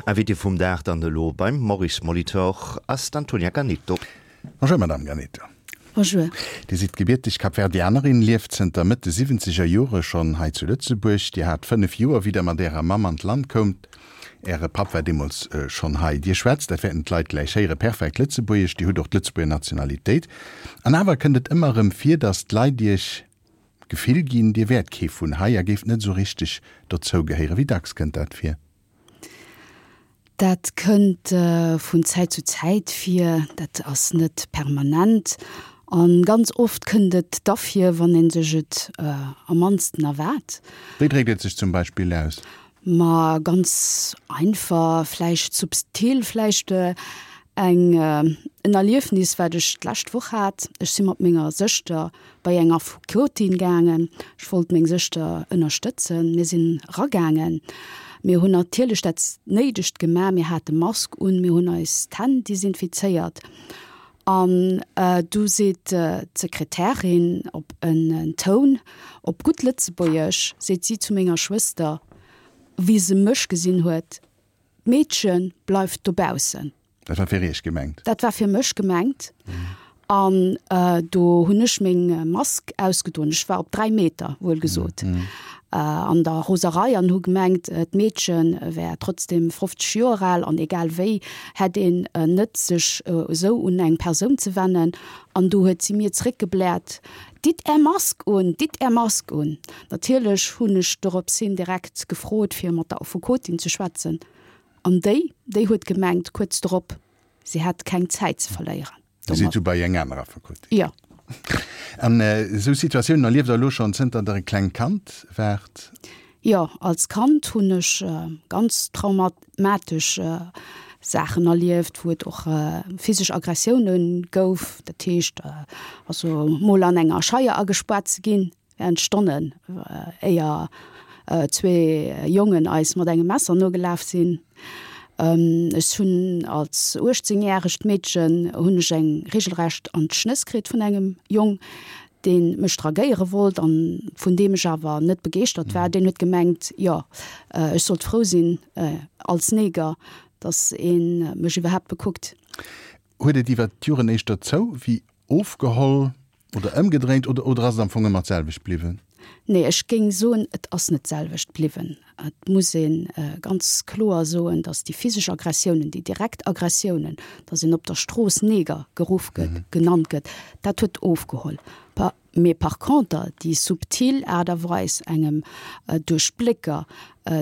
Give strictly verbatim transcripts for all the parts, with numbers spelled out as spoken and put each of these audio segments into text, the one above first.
Invité vum Dag dann elo beim Maurice Molitor ass d'Antonia Ganeto. Bonjour Madame Ganeto. Bonjour. Dir sidd gebierteg Kapverdianerin, lieft zënter Mëtt de siwwenzeger Jore schonn hei zu Lëtzebuerg. Dir hat fënnef Joer, wéi Der mat Ärer Mamm an d'Land koumt. Äre Papp war deemools schonn hei. Dir schwätzt, dat wäerten d'Leit gläich héieren, perfekt Lëtzebuergesch. Dir hutt och d'Lëtzebuerger Nationalitéit. An awer kënnt et ëmmer erëm vir, datt d'Leit Iech d'Gefill ginn, Dir wäert kee vun hei a géift net esou richteg dozou gehéieren. Wéi dacks kënnt dat vir? Dat kënnt vun Zäit zu Zäit vir, dat ass net permanent. A ganz oft kënnt et da vir, wann ee sech et am mannsten erwaart. Wéi dréckt et sech zum Beispill aus? Ma ganz einfach, vläicht subtil, vläicht eng en Erliefnis, wat ech d'lescht Woch hat. Ech si mat menger Sëschter bei eng Affekotin gaangen. Ech wollt meng Sëschter ënnerstëtzen. Mir sinn eragaangen. Mir hunn natierlech dat Néidegt gemaach, mir hate Mask un, mir hunn eis d'Hänn desinfizéiert. An du seet d'Sekretärin op en Toun, op gutt Lëtzebuergesch, seet si zu menger Schwëster, wéi se mech gesinn huet, D'Meedche bleift dobaussen. Dat war fir Iech gemengt? Dat war fir mech gemengt. An do hunn ech meng Mask ausgedoen, ech war op dräi Meter, wuel gesot, an der Roserei an hu gemengt, d'Meedche wär trotzdem fofzeg Joer al an egal wéi hätt een net sech esou un eng Persoun ze wennen. An do huet si mir zréckgebläert, Ditt Är Mask un, ditt Är Mask un! Natierlech hunn ech dorops hin direkt gefrot, fir mat der Affekotin ze schwätzen. An déi, déi huet gemengt kuerz drop, si hätt keng Zäit ze verléieren. Dir sidd du bei eng aner Affekotin? Jo. An esou Situatiounen erlieft Der elo schonn zënter Der e klengt Kand waart? Jo, als Kand hunn ech ganz traumatesch Saachen erlieft, wou et och physesch Aggressioune gouf. Dat heescht also mol an enger Scheier agespaart ze ginn während Stonnen, éier zwee Jongen eis mat engem Messer nogelaf sinn. Ech hunn als uechtzéngjäregt Meedchen hunn ech eng regelrecht an d'Schnëss kritt vun engem Jong, dee mech dragéiere wollt an vun deem ech awer net begeeschtert war. Deen huet gemengt, jo, ech sollt frou sinn als Neger, datt ee mech iwwerhaapt bekuckt. Huet et iwwer d'Joren éischter zou wéi ofgeholl oder ëmgedréint oder oder ass et am Fong ëmmer d'selwecht bliwwen? Nee, ech géing soen, et ass net d'selwecht bliwwen. Et muss ee ganz kloer soen, datt déi physesch Aggressiounen, déi direkt Aggressiounen, datt een op der Strooss Neger geruff gëtt, genannt gëtt, dat huet ofgeholl. Mee par conter déi subtil Aart a Weis, engem duerch d'Blécker,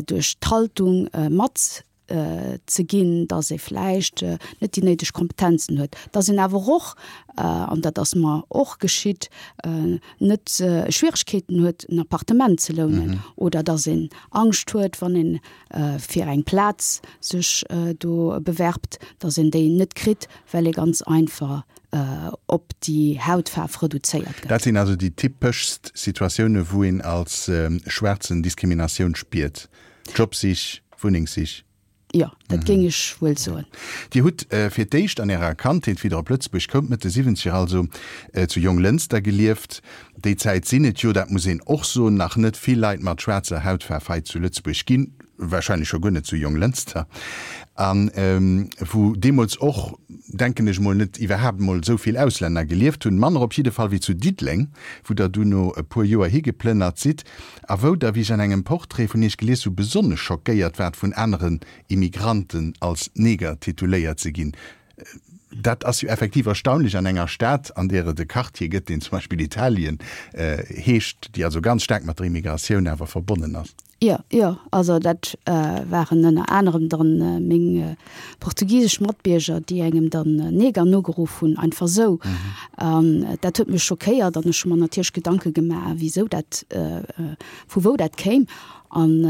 duerch d'Haltung mat ze ginn, datt ee vläicht net déi néideg Kompetenzen huet, datt een awer och, an dat ass mer och geschitt, net Schwieregkeeten huet, en Appartement ze lounen oder datt een Angscht huet, wann ee fir eng Plaz sech do bewerbt, datt een déi net kritt, well ee ganz einfach op déi Hautfaarf reduzéiert gëtt. Dat sinn also déi typeschst Situatioune wou een als Schwaarzen Diskriminatioun spiert, Jobsich, Wunnengssich. Jo, dat géing ech wuel soen. Dir hutt fir d'éischt an Ärer Kandheet, wéi Der op Lëtzebuerg koumt, Mëtt de Siwwenzeger also, zu Jonglënster gelieft. Déi Zäit sinn et jo, dat muss een och soen, nach net vill Leit mat schwaarzer Hautfaarf hei zu Lëtzebuerg ginn, warscheinlech scho guer net zu Jonglënster, a wou deemools och, denken ech mol, net iwwerhaapt emol esou vill Auslänner gelieft hunn, manner op jidde Fall wéi zu Diddeleng, wou Der duerno e puer Joer higeplënnert sidd a wou Der, wéi ech an engem Portrait vun Iech gelies hu, besonnesch schockéiert waart, vun aneren Immigranten als Neger tituléiert ze ginn. Dat ass jo effektiv erstaunlech an enger Stad, an där et e Quartier gëtt, deen zum Beispill Italien heescht, déi also ganz staark mat der Immigratioun awer verbonnen ass. Jo, jo, also dat waren ënner anerem dann meng portugisesch Matbierger, déi engem dann Neger nogeruff hunn, einfach esou. An dat huet mech schockéiert an ech hu mer natierlech Gedanke gemaach, wisou dat, vu wou dat kéim. An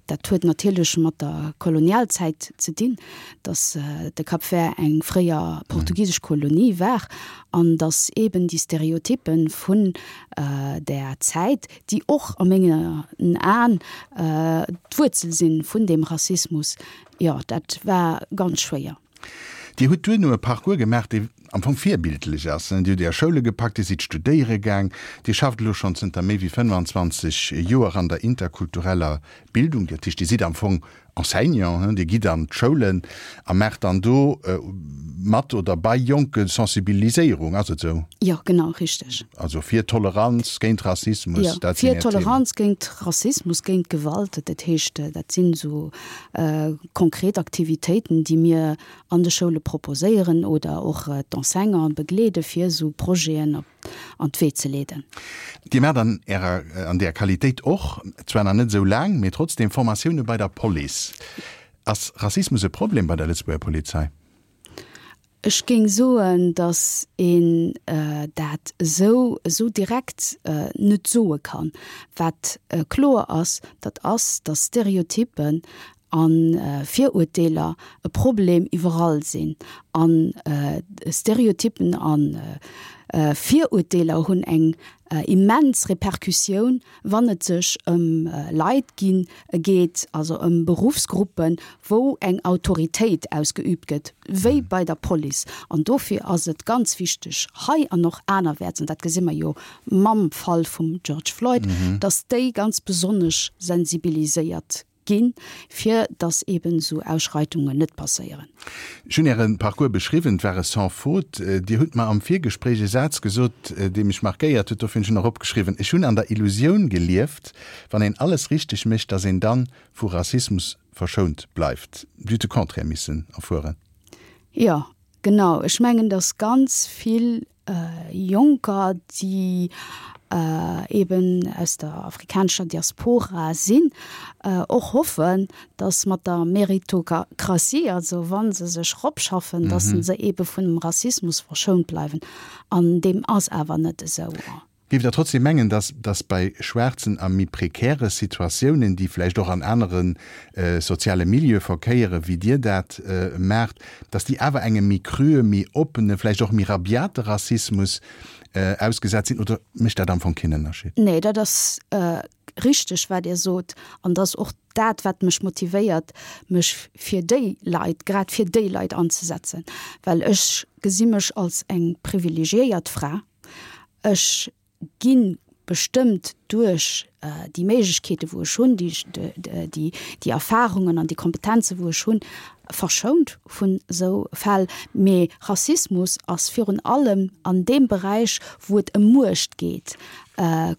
dat huet natierlech mat der Kolonialzäit ze dinn, datt de Cap Vert eng fréier portugisesch Kolonie war an datt eeben déi Stereotyppe vun där Zäit, déi och a mengen Aen d'Wuerzel si vun deem Rassismus, jo, dat war ganz schwéier. Dir hutt duerno e Parcours gemaach, dee am Fong virbildlech ass. Dir hutt Är Schoule gepackt, Dir sidd studéiere gaang, Dir schafft elo schonn zënter méi wéi fënnfanzwanzeg Joer an der interkultureller Bildung. Dat heescht, Dir sidd am Fong Enseignant, Dir gitt an d'Schoulen a maacht dann do mat oder bei Jonke Sensibiliséierung, ass et esou? Jo, genau, richteg. Also fir Toleranz, géint Rassismus, Jo, dat sinn fir Är Themen. Toleranz, géint Rassismus, géint Gewalt. Dat heescht, dat sinn esou konkret Aktivitéiten, déi mir an de Schoule proposéieren oder och d'Enseignanten begleede fir esou Projeten op an d'Wee ze leeden. Dir maacht an Ärer, an där Qualitéit och, zwar nach net esou laang, mee trotzdem, Formatioune bei der Police. Ass Rassismus e Problem bei der Lëtzebuerger Polizei? Ech géing soen, datt een dat esou, esou direkt net soe kann. Wat kloer ass, dat ass, datt Stereotyppen a Virurteeler e Problem iwwerall sinn. An Stereotyppen a Virurteeler hunn eng immens Repercussioun, wann et sech ëm Leit ginn geet, also ëm Beruffsgruppen, wou eng Autoritéit ausgeüübt gëtt, wéi bei der Police. An dofir ass et ganz wichteg, hei an och anerwäerts, an dat gesi mer jo mam Fall vum George Floyd, datt déi ganz besonnesch sensibiliséiert ginn, fir dass eben esou Ausschreitungen net passéieren. Ech hunn Äre Parcours beschriwwen, et war e sans faute. Dir hutt mer am Virgespréich e Saz gesot, dee mech markéiert huet, dofir hunn ech en och opgeschriwwen, Ech hunn an der Illusioun gelieft, wann een alles richteg mécht, dass een dann vu Rassismus verschount bleift. Dir hutt de Contraire missen erfueren. Jo, genau. Ech mengen, dass ganz vill Jonker, déi eben aus der afrikanescher Diaspora sinn, och hoffen, dass mat der Meritokratie, also wa se sech eropschaffen, dass se ebe vun dem Rassismus verschount bleiwen. An deem ass awer net esou. Géift Der trotzdem mengen, dass, dass bei Schwaarzen a méi prekäre Situatiounen, déi vläicht och an anere soziale Milieue verkéiere wéi Dir dat maacht, dass déi awer engem méi crue, méi oppene, vläicht och méi rabiate Rassismus ausgesat sinn? Oder mécht dat am Fong keen Ënnerscheed? Nee, dat ass richteg, wat Dir sot. An dat ass och dat, wat mech motivéiert, mech fir déi Leit, grad fir déi Leit anzesetzen, well ech gesi mech als eng privilegiéiert Fra. Ech gi bestëmmt duerch déi Méiglechkeete wou ech hunn, déi déi Erfahrungen an déi Kompetenze wou ech hunn, verschount vun esou Fäll. Mee Rassismus ass virun allem an deem Beräich wou et ëm Muecht geet,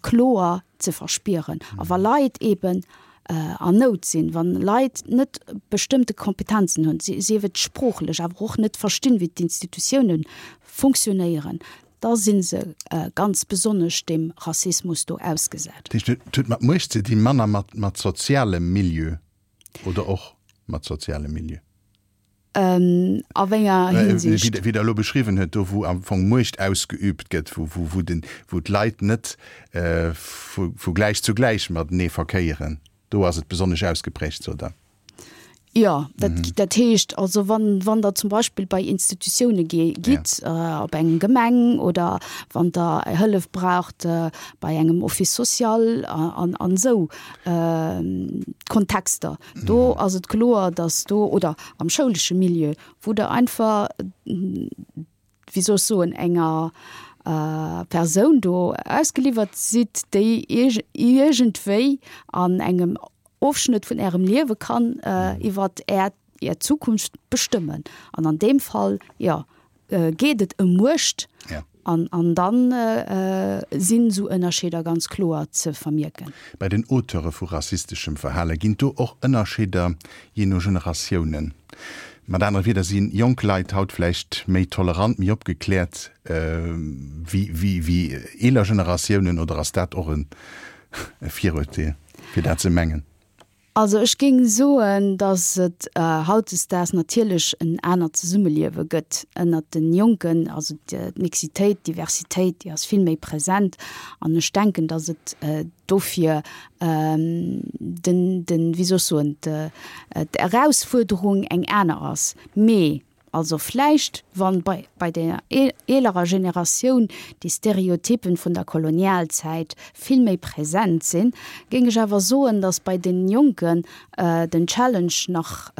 kloer ze verspieren. A wa Leit eeben an Nout sinn, wa Leit net bestëmmte Kompetenzen hunn, sief et sproochlech, awer och net verstinn, wéi d'Institutioune funktionéieren, da si se ganz besonnesch deem Rassismus do ausgesat. Dat heescht, et huet mat Muecht ze dinn, manner mat sozialem Milieu oder och mat sozialem Milieu? A wéi enger Hinsicht? Wéi Der elo beschriwwen hutt, do wou am Fong Muecht ausgeüübt gëtt, wou d'Leit net vu gläich zu gläich matenee verkéieren, do ass et besonnesch ausgeprägt, sot Der. Jo, dat, dat heescht also, wann, wann Der zum Beispill bei Institutioune gitt, op eng Gemeng oder wann Der Hëllef braucht bei engem Office social an, an esou Kontexter, do ass et kloer, datt do, oder am schoulesche Milieu, wou Der einfach, wéi soll ech soen, enger Persoun do ausgeliwwert sidd, déi iergendwéi an engem Ofschnëtt vun Ärem Liewe kann iwwer Är Är Zukunft bestëmmen. An an deem Fall, jo, geet et ëm Muecht. An an dann sinn esou Ënnerscheeder ganz kloer ze vermierken. Bei den Auteure vu rassisteschem Verhale ginn do och Ënnerscheeder jee no Generatiounen? Mat anere Wierder, si jonk Leit haut vläicht méi tolerant, méi opgekläert wéi wéi eeler Generatiounen oder ass dat och e Virurteel, fir dat ze mengen? Also ech géing soen, datt et hautdesdaags natierlech en anert Zesummeliewe gëtt ënnert den Jonken. Also d'Mixitéit, d'Diversitéit, déi ass vill méi present. An ech denken, datt et dofir den, den, wéi soll ech soen, d'Erausfuerderung eng aner ass. Mee Also vläicht, wann bei, bei der eelerer Generatioun déi Stereotypen vun der Kolonialzäit vill méi präsent sinn, géing ech awer soen, datt bei den Jonken den Challenge nach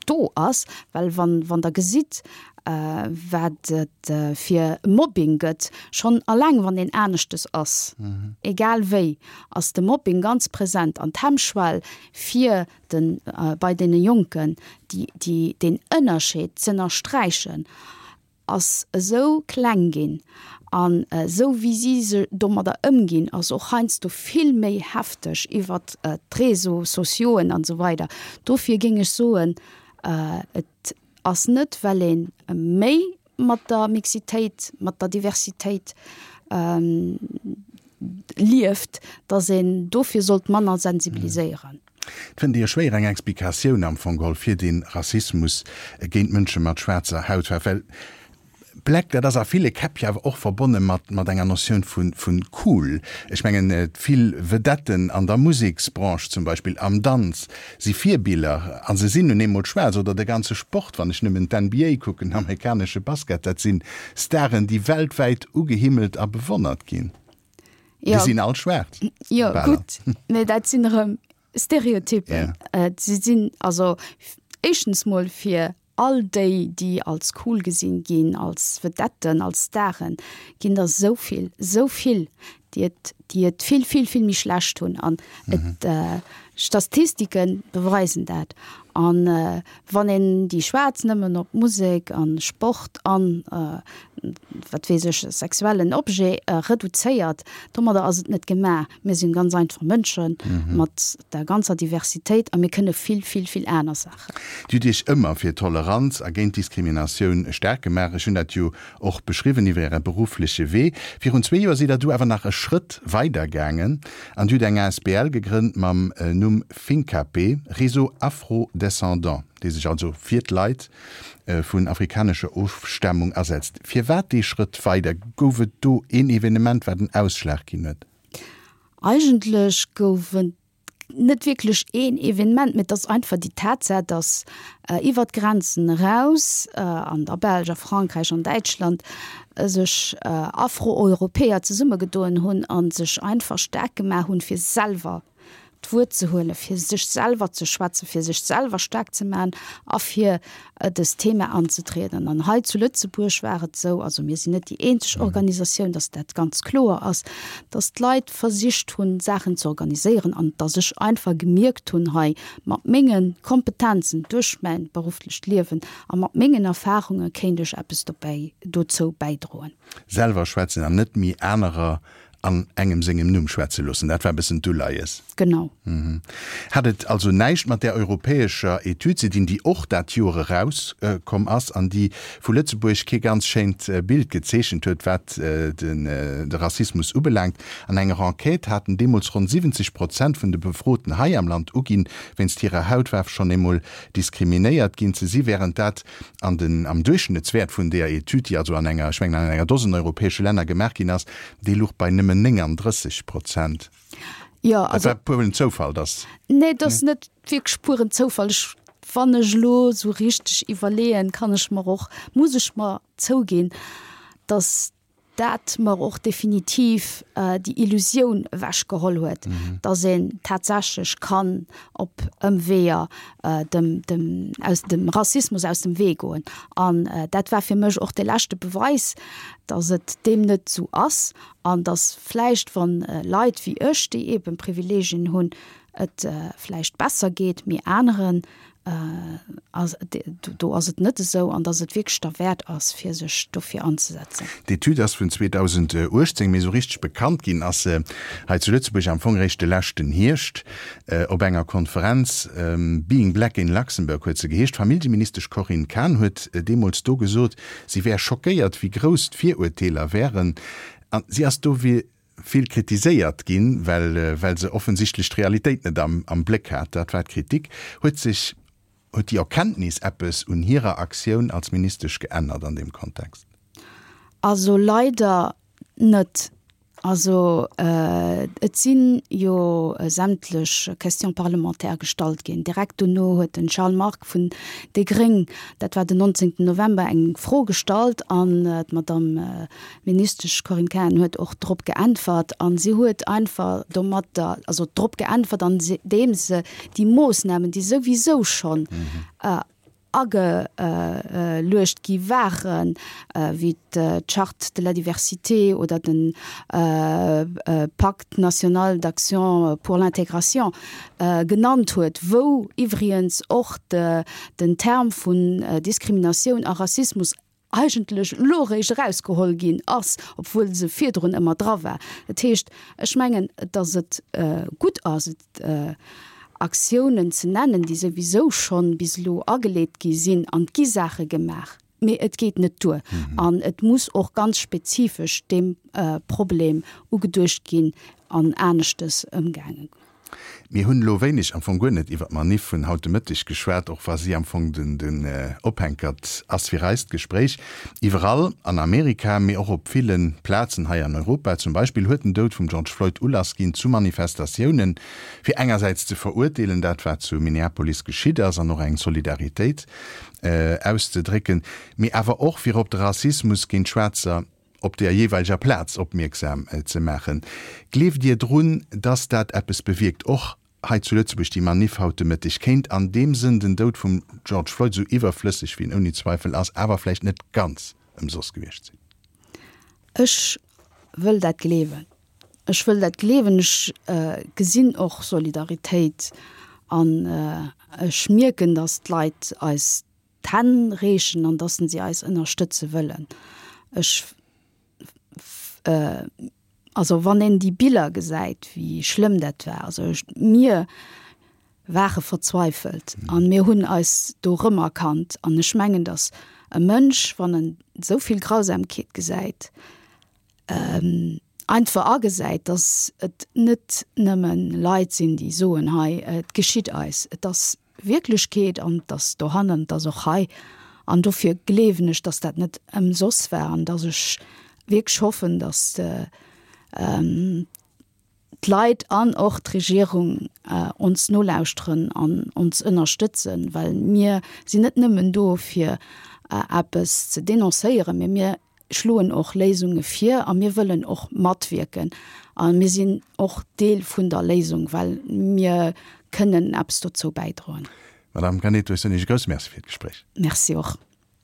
do ass, well wann, wann Der gesitt, wat et fir Mobbing gëtt, schonn alleng wann een aneschtes ass, egal wéi, ass de Mobbing ganz present an d'Hemmschwell fir de bei deene Jonken, déi déi deen Ënnerscheed z'ënnersträichen, ass esou kleng ginn an esou wéi si se domadder ëmginn, ass och heiansdo vill méi hefteg iwwert d'Réseaux sociauxen an esou weider. Dofir géing ech soen, et ass net well ee méi mat der Mixitéit, mat der Diversitéit lieft, datt een dofir sollt manner sensibiliséieren. Et fënnt ee jo schwéier eng Explikatioun am Fong geholl fir dee Rassismus géint Mënsche mat schwaarzer Hautfaarf, well Black, dat ass a ville Käpp jo awer och verbonne mat mat enger Notioun vu vun cool. Ech mengen, vill Vedetten an der Museksbranche zum Beispill, am Danz, si Virbiller a se sinn nun eemol schwaarz. Oder de ganze Sport, wann ech nëmmen d'N B A kucken, amerikanesche Basket, dat sinn Staren, déi weltwäit ugehimmelt a bewonnert ginn. Déi sinn all schwaarz. Jo, gutt, mä dat sinn erëm Stereotypen. Si sinn also éischtens mol fir all déi, déi als cool gesinn ginn, als Vedetten, als Staren, ginn der esou vill, esou vill, déi et, déi et vill, vill, vill méi schlecht hunn. An et, Statistike beweisen dat. An wann een déi Schwaarz nëmmen op Musek an Sport an, wat weess ech, sexuellen Objet reduzéiert, domadder ass et net gemaach. Mir sinn ganz einfach Mënsche mat der ganzer Diversitéit a mir kënne vill, vill, vill aner Saachen. Dir hutt Iech ëmmer fir Toleranz a géint Diskriminatioun staark gemaach. Ech hunn dat jo och beschriwwen iwwer Äre beruffleche Wee. Virun zwee Joer sidd Der du awer nach e Schrëtt weider gaangen an Dir hutt eng asbl gegrënnt mam Numm Finkapé, Réseau Afro-Descendant, dee sech also fir d'Leit vun afrikanescher Ofstamung asetzt. Firwat dee Schrëtt weider? Gouf et do een Evenement, wat den Ausschlag ginn huet? Eigentlech gouf et net wierklech een Evenement, mee et ass einfach déi Tatsaach, datt iwwer d'Grenzen eraus, an der Belsch, a Frankräich, an Däitschland, sech Afro-Europäer zesummegedoen hunn a sech einfach staark gemaach hunn, fir selwer d'Wuert ze huelen, fir sech selwer ze schwätzen, fir sech selwer staark ze maachen a fir dëst Thema anzetrieden. An hei zu Lëtzebuerg war et esou, also mir sinn net déi eenzeg Organisatioun, dass dat ganz kloer ass, dass d'Leit versicht hunn, Saachen ze organiséieren an dass ech einfach gemierkt hunn hei, mat menge Kompetenzen duerch mäin berufflecht Liewen a mat mengen Erfarunge kéint ech eppes dobäi dozou bäidroen. Selwer schwätzen an net méi anerer an engem sengem Numm schwätze loossen, dat war e bëssen d'Uleies. Genau. Hat et also näischt mat där europäescher Etüd ze dinn, déi och dat Joer erauskomm ass an déi vu Lëtzebuerg kee ganz schéint Bild gezeechent huet, wat de Rassismus ubelaangt? An enger Enquête haten deemools ronn siwwenzeg Prozent vun de Befroten hei am Land uginn, wéinst hirer Hautfaarf schonn eemol diskriminéiert ginn ze si, wärend dat an den am Duerchschnëttswäert vun deeër Etüd, déi also an enger, ech mengen an enger Dosen europäesche Länner gemaach ginn ass, dee louch bei nëmmen nénganddrësseg Prozent. Jo, Dat also. war pueren Zoufall, dass. Nee, et ass net wierklech pueren Zoufall. Ech, wann ech elo esou richteg iwwerleeën, kann ech mer och, muss ech mer zouginn, dass dat mer och definitiv déi Illusioun ewechgeholl huet, dass een tatsächlech kann op Ëmweeër dem, dem, aus dem Rassismus aus dem Wee goen. An dat war fir mech och de leschte Beweis, dass et deem net esou ass an dass vläicht, wann Leit wéi ech, déi eeben Privileegien hunn, et vläicht besser geet, mee aneren do ass et net esou an dass et wierklech derwäert ass, fir sech dofir anzesetzen. D'Etüd ass vun zweedausendachtzéng, mee esou richteg bekannt ginn ass se hei zu Lëtzebuerg am Fong eréischt de leschten Hierscht op enger Konferenz, Being Black in Luxembourg huet se geheescht. D'Familljeministesch Corinne Cahen huet deemools do gesot, si wär schockéiert, wéi grouss d'Virurteeler wären. An si ass do vill kritiséiert ginn, well well se offensichtlech d'Realitéit net am am Bléck hat. Dat war d'Kritik. Huet sech, huet déi Erkenntnis eppes un hirer Aktioun als Ministesch geännert an deem Kontext? Also leider net. Also et si jo sämtlech Questions parlementaires gestallt ginn. Direkt dono huet den Charles Margue vun déi Gréng, dat war den nonzéngten November, eng Fro gestallt an d'Madame Ministesch Corinne Cahen huet och drop geäntwert. A si huet einfach domatter, also drop geäntwert, andeem se déi Moossnamen, déi souwisou schonn ageluecht gi waren, wéi d'Charte de la diversité oder de Pacte national d'action pour l'intégration genannt huet, wou iwwregens och den Term vun Diskriminatioun a Rassismus eigentlech elo eréischt erausgeholl ginn ass, obwuel se virdrun ëmmer dra war. Dat heescht, ech mengen, datt et gutt ass, et Aktiounen ze nennen, déi souwisou schonn bis elo ageleet gi sinn, an et gi Saache gemaach, mee et geet net duer an et muss och ganz spezifesch deem Problem ugeduecht ginn an aneschtes ëmgaange. Mir hunn elo wéineg, am Fong guer net, iwwer d'Manif vun haut de Mëtteg geschwat, och wa si am Fong den den Ophänkert ass fir eist Gespréich. Iwwerall an Amerika, mee och op ville Plazen hei an Europa zum Beispill, huet den Doud vum George Floyd Ulass ginn zu Manifestatiounen, fir engersäits ze verurteelen, dat wat zu Minneapolis geschitt ass, an och eng Solidaritéit auszedrécken, mee awer och fir op de Rassismus géint Schwaarzer op der jeeweileger Plaz opmierksam ze maachen. Gleeft Dir drun, dass dat eppes bewierkt, och hei zu Lëtzebuerg, déi Maniff haut de Mëtteg? Kéint an deem Sënn den Doud vum George Floyd, esou iwwerflësseg wéi en ouni Zweifel ass, awer vläicht net ganz ëmsoss gewiescht sinn? Ech wëll dat gleewen. Ech wëll dat gleewen. Ech gesinn och Solidaritéit an ech mierken, dass d'Leit eis d'Hänn reechen an dass si eis ënnerstëtze wëllen. Ech, also wann een déi Biller gesäit, wéi schlëmm dat war, also ech, mir ware verzweifelt an mir hunn eis do rëmerkannt. An ech mengen, dass e Mënsch, wann en esou vill Grausamkeet gesäit, einfach agesäit, dass et net nëmme Leit sinn, déi soen, hei, et geschitt eis. Et ass Wierklechkeet an et ass dohannen, et ass och hei. An dofir gleewen ech, dass dat net ëmsoss war an dass ech wierklech hoffen, dass d'Leit an och d'Regierung ons nolauschteren an ons ënnerstëtzen, well mir sinn net nëmmen do fir eppes ze denoncéieren, mee mir schloen och Léisunge vir a mir wëllen och matwierken a mir sinn och Deel vun der Léisung, well mir kënnen eppes dozou bäidroen. Madame Caneto, ech soen Iech e grousse Merci fir d'Gespréich. Merci och.